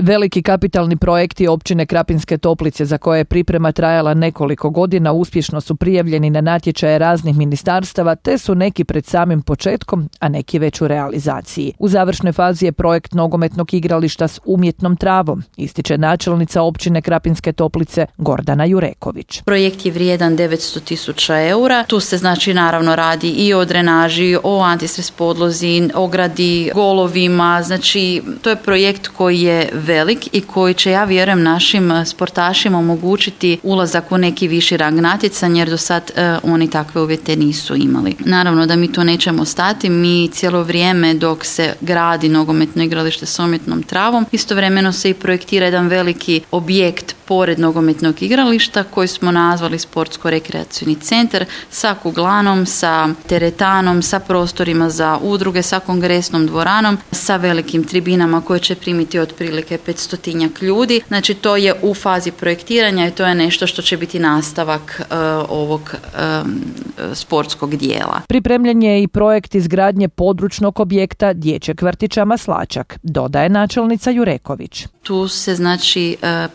Veliki kapitalni projekti općine Krapinske Toplice za koje je priprema trajala nekoliko godina uspješno su prijavljeni na natječaje raznih ministarstava, te su neki pred samim početkom, a neki već u realizaciji. U završnoj fazi je projekt nogometnog igrališta s umjetnom travom, ističe načelnica općine Krapinske Toplice Gordana Jureković. Projekt je vrijedan 900.000 eura. Tu se naravno radi i o drenaži, o antistres podlozi, o gradi, golovima. To je projekt koji je velik i koji će, ja vjerujem, našim sportašima omogućiti ulazak u neki viši rang natjecanja, jer do sad oni takve uvjete nisu imali. Naravno da mi tu nećemo stati, mi cijelo vrijeme dok se gradi nogometno igralište s umjetnom travom, istovremeno se i projektira jedan veliki objekt pored nogometnog igrališta koji smo nazvali sportsko-rekreacijni centar sa kuglanom, sa teretanom, sa prostorima za udruge, sa kongresnom dvoranom, sa velikim tribinama koje će primiti otprilike 500 ljudi. To je u fazi projektiranja i to je nešto što će biti nastavak ovog sportskog dijela. Pripremljen je i projekt izgradnje područnog objekta dječjeg vrtića Maslačak, dodaje načelnica Jureković. Tu se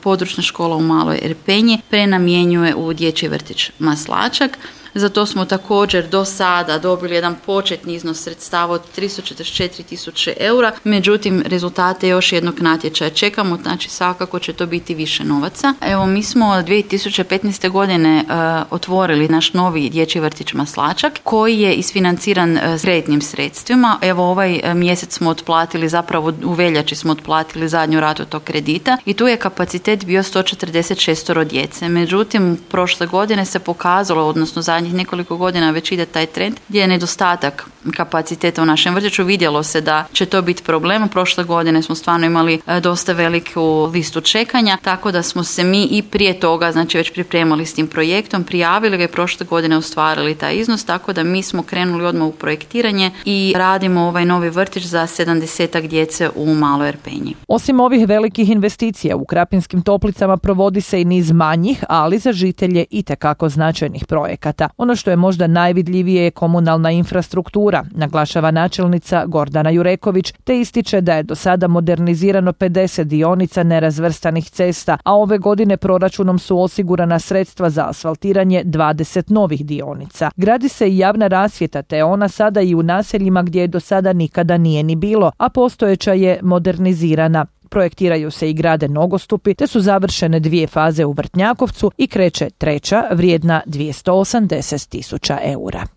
područna škola u Maloj Erpenji prenamjenjuje u dječji vrtić Maslačak. Za to smo također do sada dobili jedan početni iznos sredstava od 344.000 eura, međutim rezultate još jednog natječaja čekamo, svakako će to biti više novaca. Mi smo 2015. godine otvorili naš novi dječji vrtić Maslačak koji je isfinanciran kreditnim sredstvima. Ovaj mjesec smo otplatili, zapravo u veljači smo otplatili zadnju ratu tog kredita i tu je kapacitet bio 146 djece. Međutim, prošle godine se pokazalo, odnosno zadnjih nekoliko godina već ide taj trend gdje je nedostatak kapaciteta u našem vrtiću. Vidjelo se da će to biti problem. Prošle godine smo stvarno imali dosta veliku listu čekanja, tako da smo se mi i prije toga već pripremali s tim projektom, prijavili ga i prošle godine ostvarili taj iznos, tako da mi smo krenuli odmah u projektiranje i radimo ovaj novi vrtić za 70 djece u Maloj Erpenji. Osim ovih velikih investicija u Krapinskim Toplicama provodi se i niz manjih, ali za žitelje itekako značajnih projekata. Ono što je možda najvidljivije je komunalna infrastruktura, naglašava načelnica Gordana Jureković, te ističe da je do sada modernizirano 50 dionica nerazvrstanih cesta, a ove godine proračunom su osigurana sredstva za asfaltiranje 20 novih dionica. Gradi se i javna rasvjeta, te je ona sada i u naseljima gdje je do sada nikada nije ni bilo, a postojeća je modernizirana. Projektiraju se i grade nogostupi, te su završene 2 faze u Vrtnjakovcu i kreće 3. vrijedna 280.000 eura.